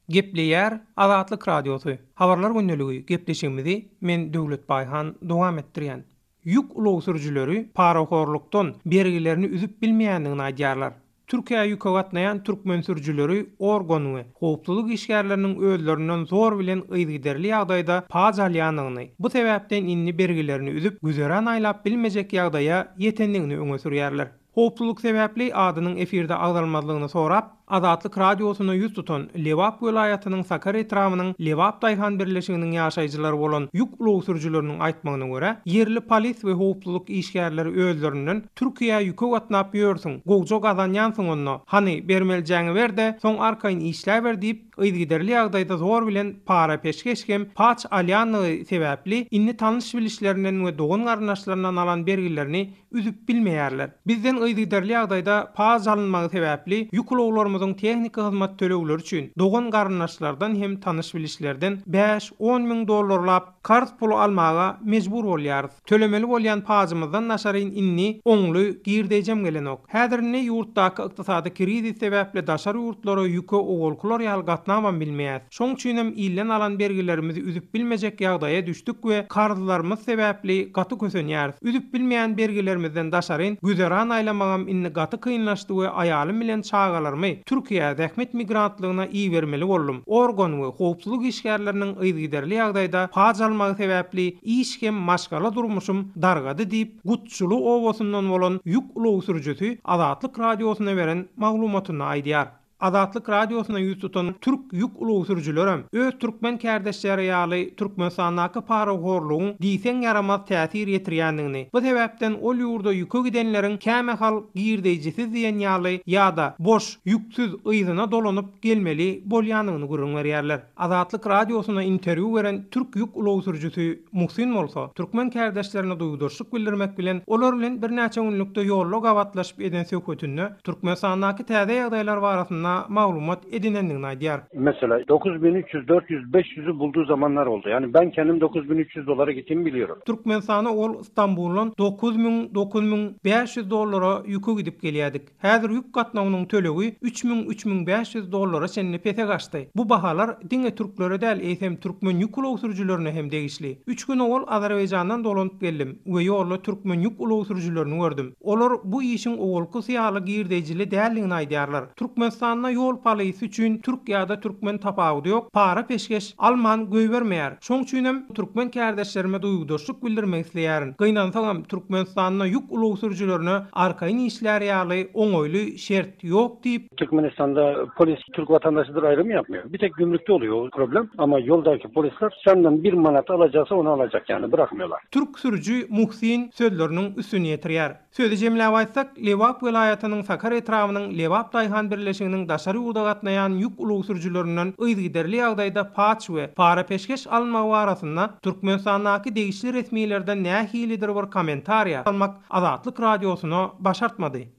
Gepleýär Azatlyk Radiosy, Habarlar gündeligi gepleşigimizi men Döwlet Baýhan dowam etdirýän. Ýük ulag sürüjileri parahorlukdan bergilerini üzüp bilmeýändigini aýdýarlar. Türkiýä ýüke gatnaýan türkmen sürüjileri organ we howpsuzlyk işgärleriniň özlerinden zor bilen yzygiderli ýagdaýda paç alýandygyny, bu sebäpden indi bergilerini üzüp, güzeran aýlap bilmejek ýagdaýa ýetendigini öňe sürýärler. Howpsuzlyk sebäpli adynyň efirde agzalmazlygyny sorap, Azatlyk Radiosyna ýüz tutan Lebap welaýatynyň Sakar etrabynyň Lebap daýhan birleşiginiň ýaşaýjylary bolan ýük ulag sürüjileriniň aýtmagyna görä, ýerli polis we howpsuzlyk işgärleri özlerinden Türkiýä ýüke gatnap ýörsüň, gowja gazanýansyň onda, hany, bermelijeňi ber-de, soň arkaýyn işläber diýip, yzygiderli ýagdaýda zor bilen para-peşgeş hem paç alýandygy sebäpli, indi tanyş-bilişlerinden we dogan-garyndaşlaryndan alan bergilerini üzüp bilmeýärler. Bizden yzygiderli ýagdaýda paç alynmagy sebäpli ýük ulaglarymyzyň tehniki hyzmat tölegleri üçin dogan-garyndaşlardan hem tanyş-bilişlerden bäş-on müň dollarlap karz puly almaga mejbur bolýarys. Tölemeli bolýan pajymyzdan daşaryn indi oňly girdeýjem gelenok. Häzir indi ýurtdaky ykdysady krizis sebäpli daşary ýurtlara ýüke owalkylar ýaly gatnabam bilmeýäs. Şoň üçinem ilden alan bergilerimizi üzüp bilmejek ýagdaýa düşdük we karzlarymyz sebäpli gaty kösenýäris. Üzüp bilmeýän bergilerimizden daşaryn güzeran aýlamagam indi gaty kynlaşdy we aýalym bilen çagalarymy Türkiýä zähmet migrantlygyna ibermeli boldum. Organ we howpsuzlyk işgärleriniň yzygiderli ýagdaýda paç almagy sebäpli iş hem maşgala durmuşym dargady diýip, Gutçuly obasyndan bolan ýük ulag sürüjisi Azatlyk Radiosyna beren maglumatynda aýdýar. Azatlyk Radiosyna ýüz tutan türk ýük ulag sürüjilerem öz türkmen kärdeşleri ýaly Türkmenistandaky parahorlugyň diýseň ýaramaz täsir ýetirýändigini, bu sebäpden ol ýurda ýüke gidenleriň kämahal girdeýjisiz diýen ýaly ýa-da boş, ýüksüz yzyna dolanyp gelmeli bolýandygyny gürrüň berýärler. Azatlyk Radiosyna interwýu beren türk ýük ulag sürüjisi Muhsin bolsa, türkmen kärdeşlerine duýgudaşlyk bildirmek bilen, olar bilen birnäçe günlükde ýolda gabatlaşyp eden söhbetinde Türkmenistandaky täze ýagdaýlar barasynda maglumat edinendigini aýdýar. Mesela 9300, 400, 500'ü bulduğu zamanlar oldu. Yani ben kendim 9300 dolara gittiğimi biliyorum. Türkmenistana ol Stambuldan 9000, 9500 dollara ýüke gidip gelýärdik. Häzir ýük gatnawynyň tölegi 3000, 3500 dollara çenli pese gaçdy. Bu bahalar diňe türklere däl, eýsem türkmen ýük ulag sürüjilerine hem degişli. Üç gün owal Azerbaýjandan dolanyp geldim we ýolda türkmen ýük ulag sürüjilerini gördüm. Olar bu işiň owalkysy ýaly girdeýjili däldigini aýdýarlar. Türkmenistanda ýol polisi üçin türk ýa-da türkmen tapawudy ýok, para-peşgeş alman goýbermeýär. Şoň üçinem türkmen kärdeşlerime duýgudaşlyk bildirmek isleýärin. Gynansagam, Türkmenistanda ýük ulag sürüjilerine arkaýyn işlär ýaly oňaýly şert ýok diýip, Türkmenistanda polis türk vatandaşydyr aýrym ýapmaýar. Bir tek gümrükde oluyor o problem. Ama ýoldaky polisler senden bir manat alacaksa ony alacak yani bırakmıyorlar. Türk sürüji Muhsin sözleriniň üstüni ýetirýär. Sözi jemläp aýtsak, Lebap welaýatynyň Sakar etrabynyň Lebap daýhan birleşiginiň daşary ýurda gatnaýan ýük ulag sürüjilerinden yzygiderli ýagdaýda paç we para-peşgeş alynmagy barasynda Türkmenistandaky degişli resmilerden nähilidir bir kommentariýa almak Azatlyk Radiosyna başartmady.